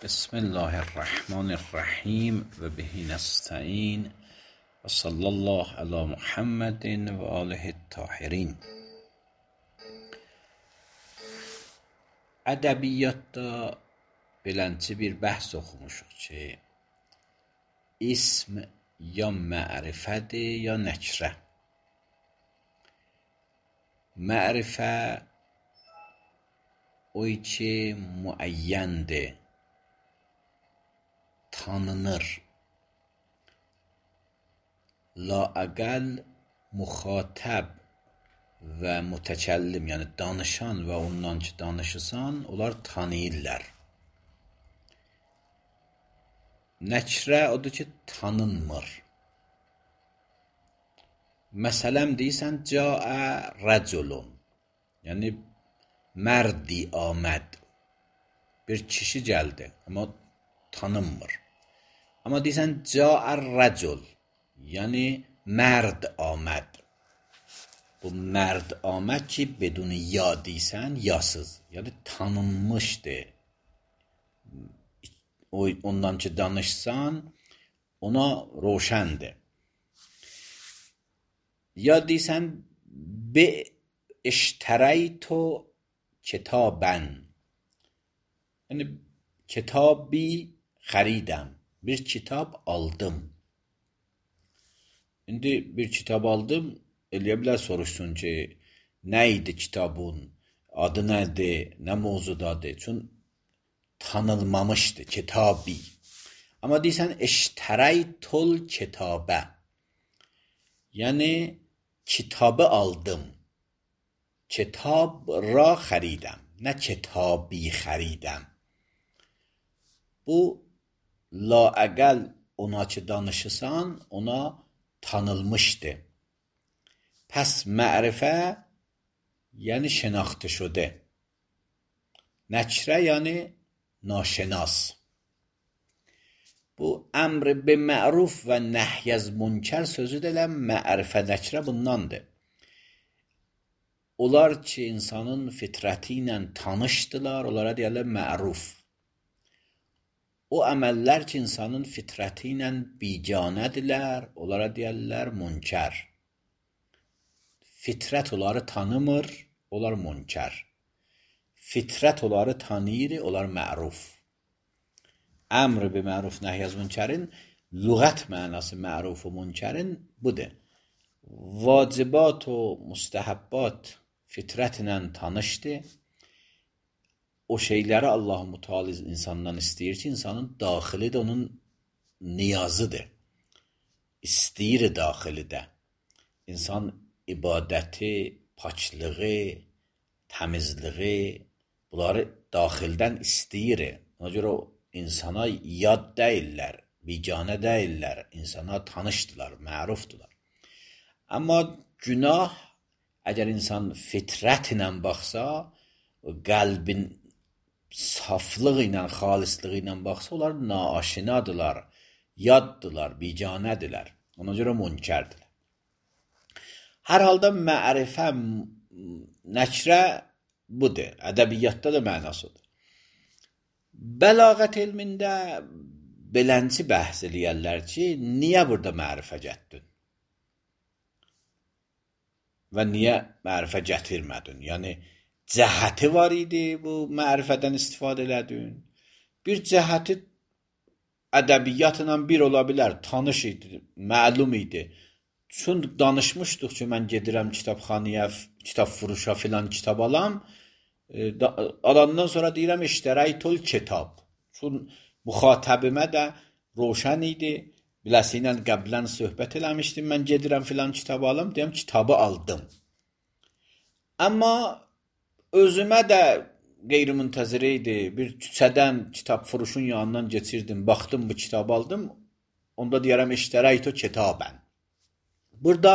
بسم الله الرحمن الرحیم و به نستعین و صلی الله علی محمد و آله الطاهرین. Ədəbiyyatda beləncə bir bəhs oxumuşuq ki, ism ya mərifədir, ya nəkrə. Mərifə o ki müəyyəndir, tanınır. Laəqəl müxatəb və mütəkəllim, yəni danışan və ondan ki danışırsan, onlar tanıyırlar. Nəkrə odur ki, tanınmır. Məsələn deyirsən, caə rəculun, yəni mərdi aməd, bir kişi gəldi, amma tanınmır. Amma deyirsən, caə rəcul, yəni mərd aməd. Bu mərd aməd ki, bedun ya deyirsən, yasız, yəni tanınmışdır. Ondan ki danışsan, ona roşəndir. Ya deyirsən, be iştərəytu kitabən, yəni kitabı xəridəm, bir kitab aldım. İndi bir kitab aldım, eləyə bilər soruşsun ki, nə idi kitabın, adı nədir, nə mövzudadır? Çün tanınmamışdır, kitabı. Amma deyirsən, iştərəytul kitabə, yəni kitabı aldım, kitab ra xəridəm, nə kitabı xəridəm. Bu, laəqəl ona ki danışırsan, ona tanılmışdır. Pəs mərifə, yəni şənaxtı şudə. Nəkrə, yəni naşənas. Bu, əmr be məruf və nəhyəz münkər sözü də mərifə nəkrə bundandır. Onlar ki, insanın fitrəti ilə tanışdılar, onlara deyərlər məruf. O əməllər ki, insanın fitrəti ilə biganədirlər, onlara deyərlər münkər. Fitrət onları tanımır, onlar münkər. Fitrət onları tanıyır, onlar məruf. Əmr bi məruf nəhyəz münkərin lüğət mənası məruf və münkərin budur. Vacibat və müstəhəbbat fitrət ilə tanışdır. O şeyləri Allah-u Teala insandan istəyir ki, insanın daxili də onun niyazıdır. İstəyir daxili də. İnsan ibadəti, paçlığı, təmizliği, bunları daxildən istəyir. Ona görə o insana yad deyirlər, biganə deyirlər, insana tanışdılar, mərufdular. Amma günah, əgər insan fitrət ilə baxsa, qəlbin saflığı ilə, xalislığı ilə baxsa, onlar naaşinadılar, yaddılar, biganədirlər. Ona görə münkərdirlər. Hər halda mərifə, nəkrə budur. Ədəbiyyatda da mənasıdır. Bəlağət elmində belənci bəhs eləyərlər ki, niyə burada mərifə gətdin? Və niyə mərifə gətirmədin? Yəni, cəhəti var idi, bu mərifədən istifadə elədin. Bir cəhəti ədəbiyyatla bir ola bilər, tanış idi, məlum idi. Çün danışmışdıq ki, mən gedirəm kitabxanaya, kitab furuşa filan kitab alam, alandan sonra deyirəm, iştərəytul kitab. Çün müxatəbimə də roşən idi, biləsi ilə qəblən söhbət eləmişdim, mən gedirəm filan kitab alım, deyəm, kitabı aldım. Amma özümə də qeyri-müntəzir idi, bir küçədən kitab furuşun yanından geçirdim, baxdım bu kitabı aldım, onda deyərəm, iştərəytu kitabən. Burada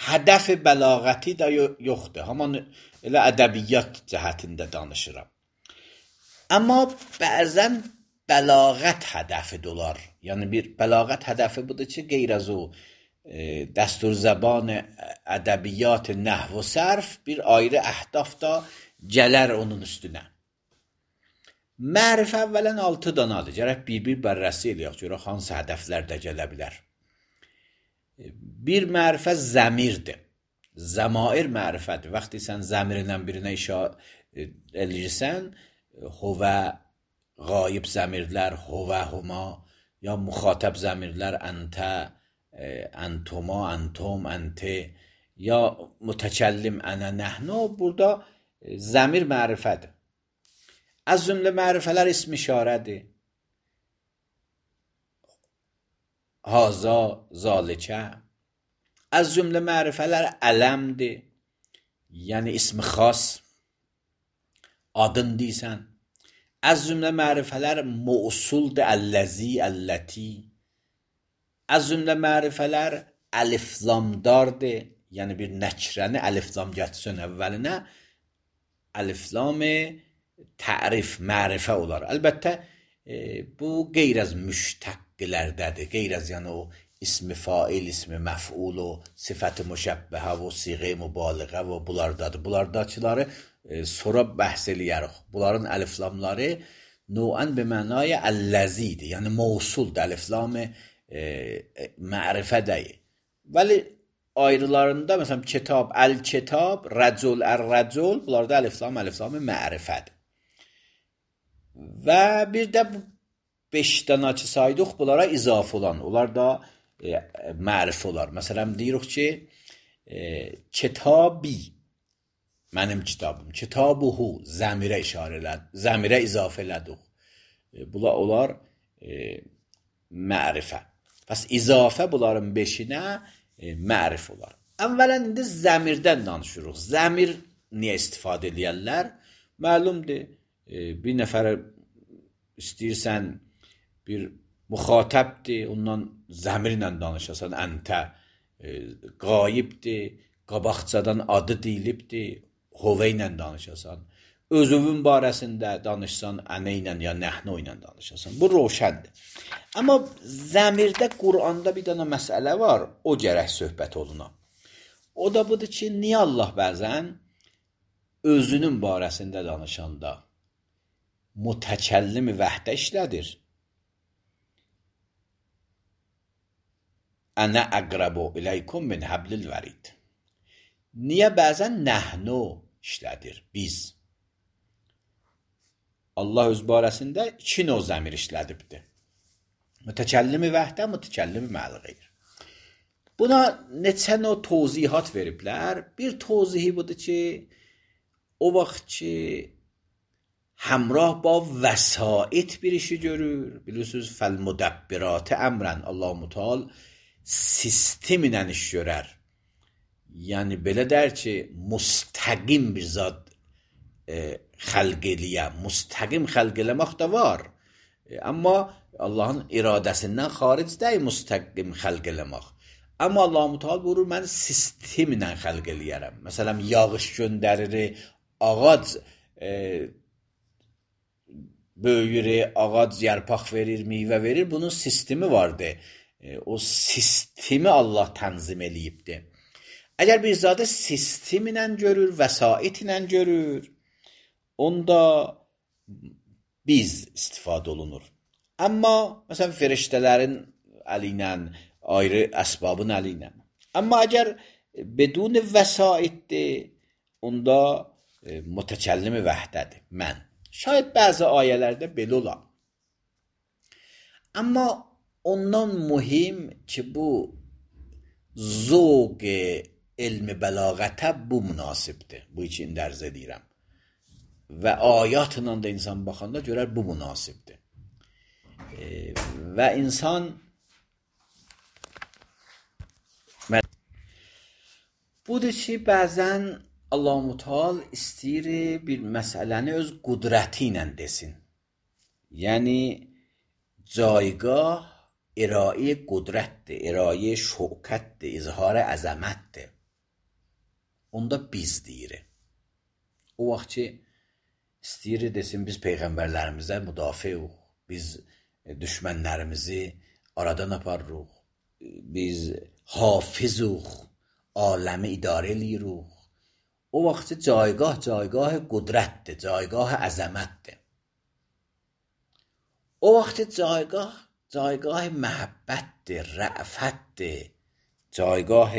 hədəf-i bəlağəti də yoxdur, haman elə ədəbiyyat cəhətində danışıram. Amma bəzən bəlağət hədəfi də olar. Yəni bir bəlağət hədəfi budur ki, qeyr az o dəstur zəban ədəbiyyat, nəhv və sərf bir ayrı əhdaf da gələr onun üstünə. Mərifə əvvələn 6 danadır. Gərək bir-bir bərrəsi eləyək. Görək hansı hədəflər də gələ bilər. Bir mərifə zəmirdir. Zəmair mərifədir. Vaxtı sən zəmirlə birinə işarə eləyirsən, huvə, qayib zəmirlər, huvə, huma, ya müxatəb zəmirlər, əntə, əntuma, əntum, ənti, ya mütəkəllim, ənə, nəhnu. Burada zəmir mərifədir. Az cümlə mərifələr ism işarədir. Haza, zalikə. Az cümlə mərifələr ələmdir. Yəni ismi xas. Adın deysən. Az cümlə mərifələr mausuldur. Əlləzi, əlləti. Az cümlə mərifələr əliflamdardır. Yəni bir nəkrəni əliflam gətirsin əvvəlinə. Əliflam-ı tərif, mərifə olar. Əlbəttə, bu qeyr az müştəqqilərdədir. Qeyr az yəni o ismi fail, ismi məf'ul, o sifət-i müşəbbəhə və siğə-i mübaliğə və bunlardadır. Bunlardakıları sonra bəhs eləyərik. Bunların əliflamları növən bir mənaya əlləzidir. Yəni mausuldur. Əliflam-ı mərifə deyil. Vəli ayrılarında məsələn kitab, əl-kitab, rəcul, ər-rəcul, bunlarda əliflam-ı mərifədir. Və bir də 5 dənəçi saydıq, bunlara izafə olan. Onlar da mərifə olar. Məsələn, deyirik ki, kitabi, mənim kitabım, kitabuhu, zəmirə işarə elədik, zəmirə izafə elədik. Bunlar olar mərifə. Pəs izafə bunların 5-inə mərif olar. Əvvələn indi zəmirdən danışırıq. Zəmir niyə istifadə edərlər? Məlumdur. Bir nəfər istəyirsən, bir müxatəbdir, ondan zəmirlə danışasan, əntə, qayibdir, qabaqcadan adı deyilibdir, huvə ilə danışasan, özünün barəsində danışsan, ənə ilə ya nəhnu ilə danışasan. Bu roşəndir. Amma zəmirdə Quranda bir dənə məsələ var, o gərək söhbət oluna. O da budur ki, niyə Allah bəzən özünün barəsində danışanda mütəkəllim vəhdə işlədir? Ənə əqrəbu iləykum min həblil vərid. Niyə bəzən nəhnu işlədir? Biz. Allah öz barəsində 2 növ zəmir işlədibdir. Mütəkəllimi vəhdə, mütəkəllimi məl-qeyr. Buna neçə növ tövzihat veriblər. Bir tövzihi budur ki, o vaxt ki, həmrah ba vəsait bir işi görür. Bilirsiniz, fəl-müdəbbirati əmrən. Allah-u Teala sistemlə iş görər. Yəni, belə dər ki, müstəqim bir zat xəlq eləyə. Müstəqim xəlq eləmək də var. Amma Allahın iradəsindən xaric deyil müstəqim xəlq eləmək. Amma Allah-u Teala buyurur, mən sistemlə xəlq eləyərəm. Məsələn, yağış göndərir, ağac böyüyür, ağac yarpaq verir, meyvə verir. Bunun sistemi vardır. O sistemi Allah tənzim eləyibdir. Əgər bir zadə sistemi ilə görür, vəsait ilə görür, onda biz istifadə olunur. Amma, məsələn, feriştələrin əli ilə, ayrı əsbabın əli ilə. Amma əgər bedun vəsaitdir, onda mütəkəllimi vəhdədir, mən. Şayad bəzi ayələrdə belə olar. Amma ondan mühim ki, bu zövq elmi bəlağətə bu münasibdir. Bu üçün dərz edirəm. Və ayatla da insan baxanda görər bu münasibdir. Və insan budur ki, bəzən Allah-u Teala istəyir bir məsələni öz qudrəti ilə desin. Yəni, caygah irayə qudrətdir, irayə şökətdir, izhar əzəmətdir. Onda biz deyirik. O vaxt ki, istəyir desin, biz peyğəmbərlərimizə müdafiq, biz düşmənlərimizi aradan aparırıq, biz hafizuq, aləmi idarə eləyirik. O vaxt ki, caygah qudrətdir, caygah əzəmətdir. O vaxt جایگاه محبتdir, rə'fətdir, جایگاه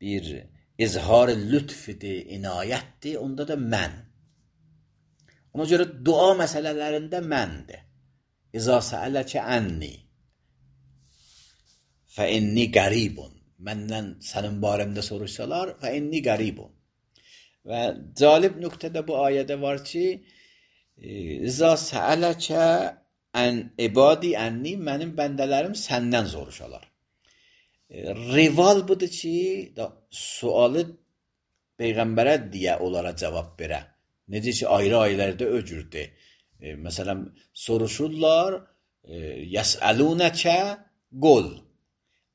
bir izhar lütfidir, inayətdir, onda da mən. Ona görə dua məsələlərində məndir. İza səələkə ənni fə inni qəribun. Məndən sənin barəmdə soruşsalar, fə inni qəribun. Və cəlib nöqtədə bu ayədə var ki, İza səələkə ibadi ənni, mənim bəndələrim səndən soruşalar. Rival budur ki, sualı Peyğəmbərə deyə onlara cavab verə. Necə ki, ayrı-ayrılarda öcürdür. Məsələn, soruşurlar, yəsəlunəkə qol.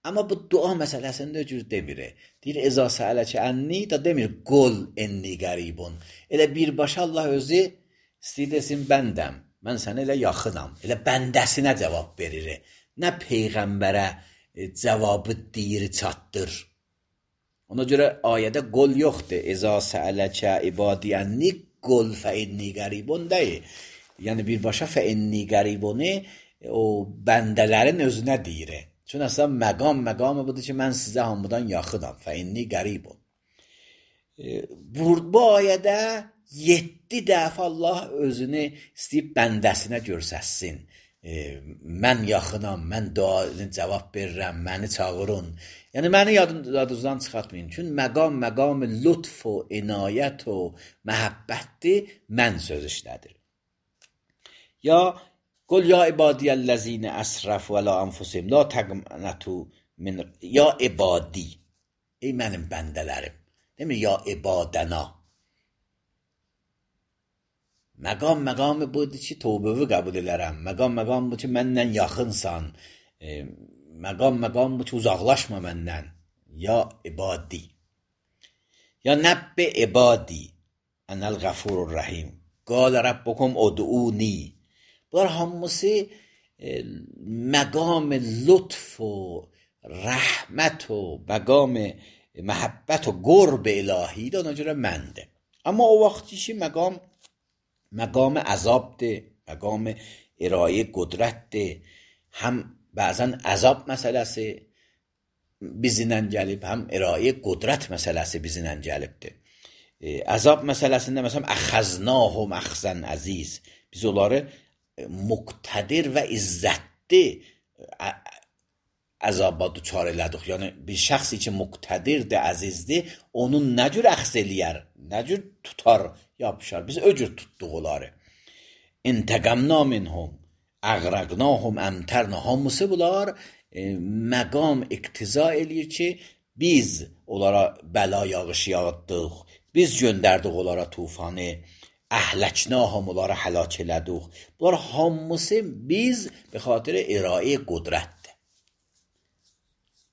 Amma bu dua məsələsində öcür demir. Deyir, İza səələkə ənni, da demir, qol enni qəribun. Elə birbaşa Allah özü istəyir desin, bəndəm. Mən sənə elə yaxınam. Elə bəndəsinə cavab verir. Nə Peyğəmbərə cavabı deyir, çatdır. Ona görə ayədə qol yoxdur. İza səələkə ibadi ənni qol fə inni qəribun deyir. Yəni birbaşa fə inni qəribunu o bəndələrin özünə deyir. Çün əslən məqamı budur ki, mən sizə hamıdan yaxınam. Fə inni qəribun. Bu ayədə 7 dəfə Allah özünü istəyib bəndəsinə görsəsin. Mən yaxınam, mən duanı cavab verirəm, məni çağırın. Yəni, məni yadınızdan çıxartmayın. Çünki məqam lütf o, inayət o, məhəbbətdir, mən söz işlədir. Ya, qul ya ibadiyyəl-ləzinə əsrəf və la anfusim, la təqnətu min, ya ibadi, ey mənim bəndələrim, demir, ya ibadəna. Məqamı budur ki, tövbəvi qəbul elərəm. Məqam budur ki, məndən yaxınsan. Məqam budur ki, uzaqlaşma məndən. Ya ibadi. Ya nəbbi ibadi. Ənəl qəfurur rəhim. Qalə rəbbukum ud'uni. Bunlar hamısı məqam lütf o, rəhmət o, məqam məhəbbət o, qurb ilahidir, ona görə məndir. Amma o vaxt ki, məqam əzabdır, məqam irayə qudrətdir. Həm bəzən əzab məsələsi bizinlə gəlib, həm irayə qudrət məsələsi bizinlə gəlibdir. Əzab məsələsində məsələn, əxəznahum əxzən əziz. Biz onları muqtədir və izzətli əzaba duçar elədik. Yəni, bir şəxs ki, muqtədirdir, əzizdir, onun nə cür əxz eləyər, nə cür tutar, yapışar. Biz öcür tutduq onları. İntəqəmna minhum, əqrəqnahum əmtərna. Hamısı bunlar məqam iqtiza eləyir ki, biz onlara bəla yağışı yağıtdıq, biz göndərdik onlara tufanı, əhləknahum onlara həlak elədik. Bunlar hamısı biz be xatir irayə qudrətdir.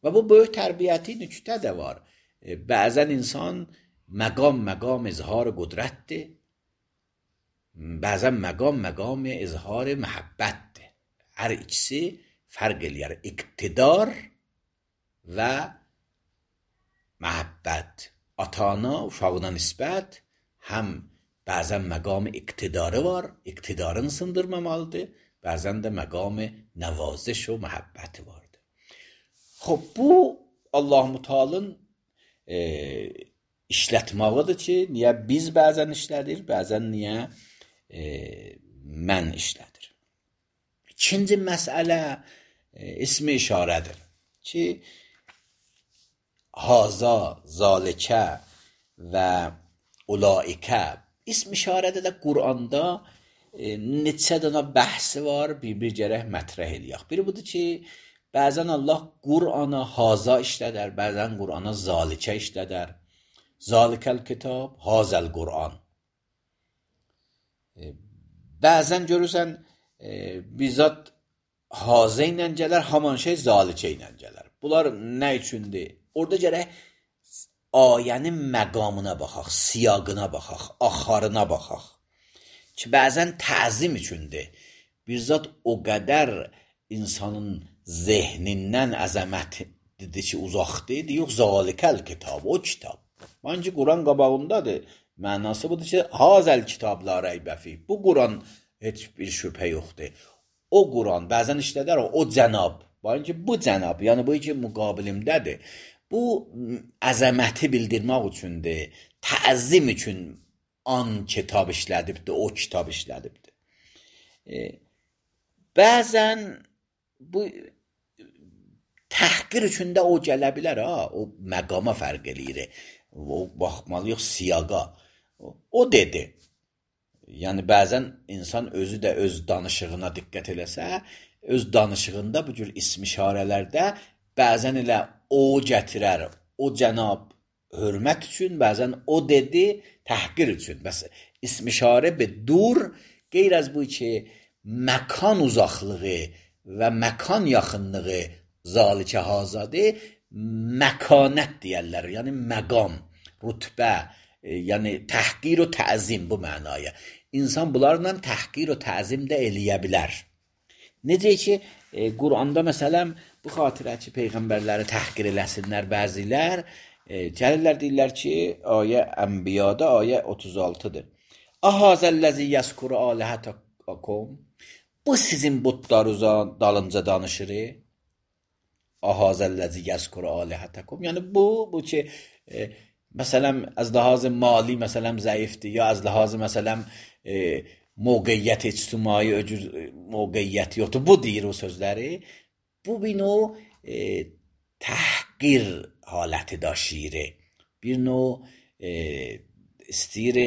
Və bu böyük tərbiyyəti nüktə də var. Bəzən insan məqam izhar qudrətdir. Bəzən məqam izhar məhəbbətdir. Hər ikisi fərq eləyər. İqtidar və məhəbbət. Ata-ana uşağına nisbət həm bəzən məqam iqtidarı var, iqtidarını sındırmamalıdır. Bəzən də məqam nəvaziş və məhəbbəti vardır. Xub, bu Allah-u Teala'nın işlətmağıdır ki, niyə biz bəzən işlədir, bəzən niyə mən işlədir. İkinci məsələ ismi işarədir ki, haza, zalikə və ulaikə. İsm işarədə də Quranda neçə dənə bəhsi var, bir gərək mətrəh eləyək. Biri budur ki, bəzən Allah Qurana haza işlədər, bəzən Qurana zalikə işlədər. Zalikəl kitab, hazəl Quran. Bəzən görürsən, bizzat hazə ilə gələr, haman şey zalikə ilə gələr. Bunlar nə üçündür? Orada gərək ayənin məqamına baxaq, siyaqına baxaq, axarına baxaq. Ki, bəzən təzim üçündür. Bizzat o qədər insanın zehnindən əzəmətlidir ki, uzaqdır, yox, zalikəl kitab, o kitab. Məncə Quran qabağındadır. Mənası budur ki, hazəl kitabla rəybəfi. Bu Quran heç bir şübhə yoxdur. o Quran bəzən işlədər o cənab. Bayın ki, bu cənab, yəni bu ki müqabilimdədir. Bu əzəməti bildirmək üçündür, təəzzim üçün an kitab işlədibdir, o kitab işlədibdir. Bəzən bu təhqir üçün də o gələ bilər, o məqama fərq eləyir. O baxmalıyıq siyaqa. O dedi. Yəni bəzən insan özü də öz danışığına diqqət eləsə, öz danışığında bu cür ism-işarələrdə bəzən elə o gətirər, o cənab hörmət üçün, bəzən o dedi təhqir üçün. Bəs ism-işarə be dur, qeyr az bu ki, məkan uzaqlığı və məkan yaxınlığı zalikə hazadır, məkanət deyərlər, yəni məqam, rütbə, yəni təhqir və təzim bu mənaya. İnsan bunlarla təhqir və təzim də eləyə bilər. Necə ki, Quranda məsələn, bu xatirə ki, peyğəmbərləri təhqir eləsinlər bəzilər, gəlirlər deyirlər ki, ayə Ənbiyada, ayə 36-dır. Ahazəlləzi yəskuru alihətəkum. Bu sizin butlarınızın dalınca danışır. Ahazəlləzi yəskuru alihətəkum. Yəni bu ki, məsələn, az ləhazı mali məsələn zəifdir, ya az ləhazı məsələn mövqeyyət ictimai mövqeyyət yoxdur. Bu deyir o sözləri. Bu bir növ təhqir haləti daşıyır. Bir növ istəyir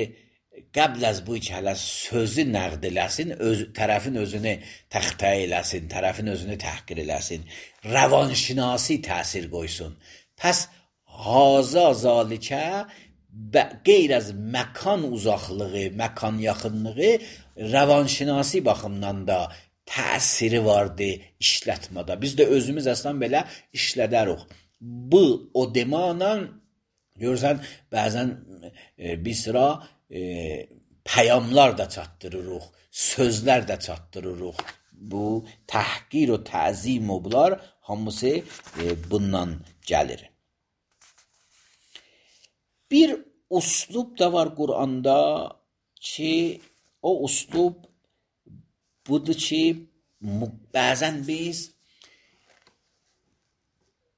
qəbl az bu ki, hələ sözü nəqd eləsin, tərəfin özünü təxtə eləsin, tərəfin özünü təhqir eləsin, rəvanşinasi təsir qoysun. Pəs haza zalikə qeyr az məkan uzaqlığı, məkan yaxınlığı rəvanşinasi baxımdan da təsiri vardı işlətmədə. Biz də özümüz əslən belə işlədərik. Bu o demana görürsən, bəzən bir sıra pəyamlar da çatdırırıq, sözlər də çatdırırıq. Bu təhqir və təzim o bunlar hamısı bundan gəlir. Bir uslub da var Quranda ki, o uslub budur ki, bəzən biz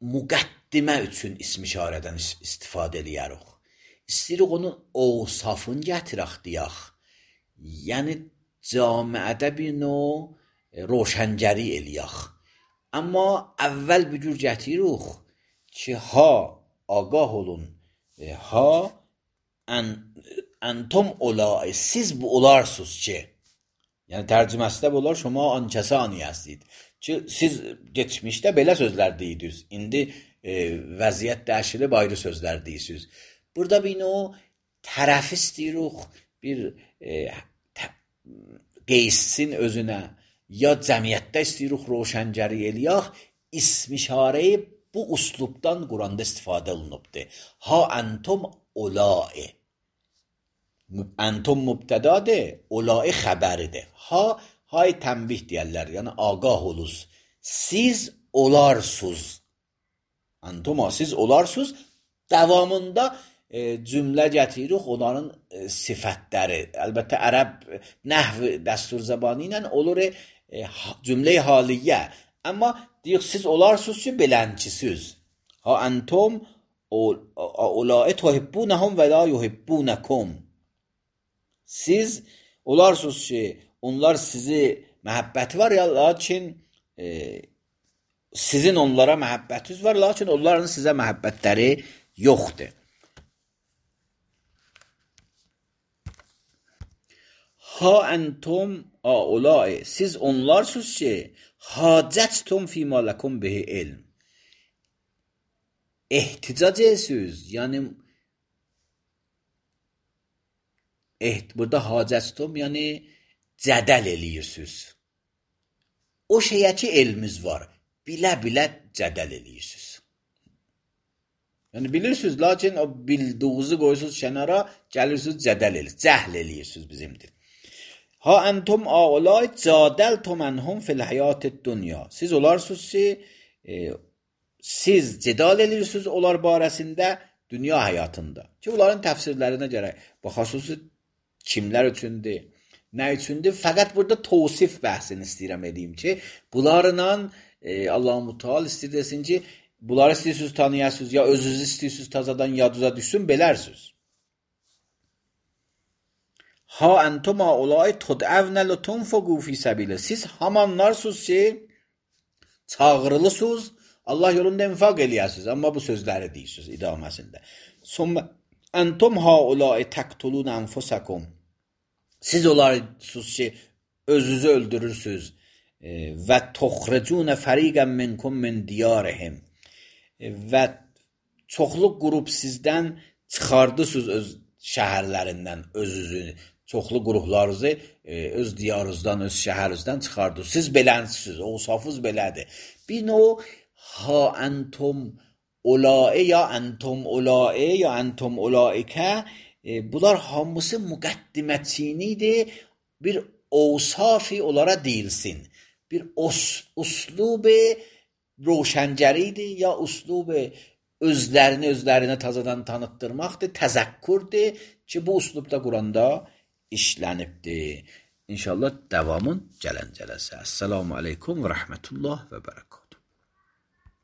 müqəddimə üçün ism-işarədən istifadə eləyərik. İstəyirik onun ovsafını gətirək deyək. Yəni, camiədə bir növ roşəngəri eləyək. Amma əvvəl bir cür gətiririk ki, ha, ağah olun, ha, entum olay, siz bu olarsınız ki, yəni tərcüməsi də olar, şuma ankəsani hastid. Ki, siz geçmişdə belə sözlər deyirdiniz, indi vəziyyət dəyişilib ayrı sözlər deyirsiniz. Burada bir o tərəf istəyirik, bir qeyssin özünə, ya cəmiyyətdə istəyirik roşəngəri eləyək, ism-işarəyi bu uslubdan Quranda istifadə olunubdur. Ha entum olai. Entum mübtədadır, olai xəbəridir. Ha, hay tənbih deyərlər, yəni ağah oluz. Siz olarsınız. Entum, siz olarsınız. Davamında cümlə gətiririk, onların sifətləri. Əlbəttə, ərəb nəhv dəstur zəbanı ilə olur cümlə-i haliyyə. Amma deyək, siz olarsınız ki, beləncisiz. Ha entum olai tuhibbunəhum və la yuhibbunəkum. Siz olarsınız ki, onlar sizi məhəbbəti var, ya lakin sizin onlara məhəbbətiniz var, lakin onların sizə məhəbbətləri yoxdur. Ha entum aulai, siz onlarsınız ki, hacəttum fîmâ lekum bihi ilm. Ehticac edirsiniz, yəni burada hacəttum, yəni cədəl eləyirsiniz. O şeyə ki, elmiz var, bilə-bilə cədəl eləyirsiniz. Yəni bilirsiniz, lakin o bildiğinizi qoyursuz kənara, gəlirsiniz cədəl eləyirsiniz, cəhl eləyirsiniz bizimdir. Ha entum aulay cadəltum enhum fil həyatid dünya. Siz olarsınız ki, siz cidal edirsiniz onlar barəsində dünya həyatında. Ki, bunların təfsirlərinə gərək baxasınız kimlər üçündür. Nə üçündür? Fəqət burada tavsif bəhsini istəyirəm edeyim ki, bunlarla Allah-u Teala istəyir desin ki, bunları istəyirsiniz tanıyasınız, ya özünüzü istəyirsiniz tazadan yaduza düşsün, belərsiniz. Ha entum haulai tud'avna litunfiqu fi sabilillah. Siz hamanlarsınız ki, çağırılısınız, Allah yolunda infaq eləyəsiniz. Amma bu sözləri deyirsiniz idaməsində. Sonra entum haulai taqtulun anfusakum. Siz olarsınız ki, özünüzü öldürürsünüz. Və tuxricun fariqan minkum min diyarihim. Və çoxlu qrup sizdən çıxardısınız öz şəhərlərindən özünüzü. Çoxlu qruplarınızı öz diyarınızdan, öz şəhərinizdən çıxardınız. Siz belənsiniz, ovsafınız belədir. Bir növ ha entum ulai ya entum ulai ya entum ulaikə bunlar hamısı müqəddimətçinidir. Bir ovsafi onlara deyilsin. Bir uslubi roşəncəridir ya uslubi özlərini tazadan tanıtdırmaqdır, təzəkkürdür ki, bu uslubda Quranda işlənibdir. İnşallah davamın gələn cələsə. Esselamu aleykum və rəhmətullah və bərəkət.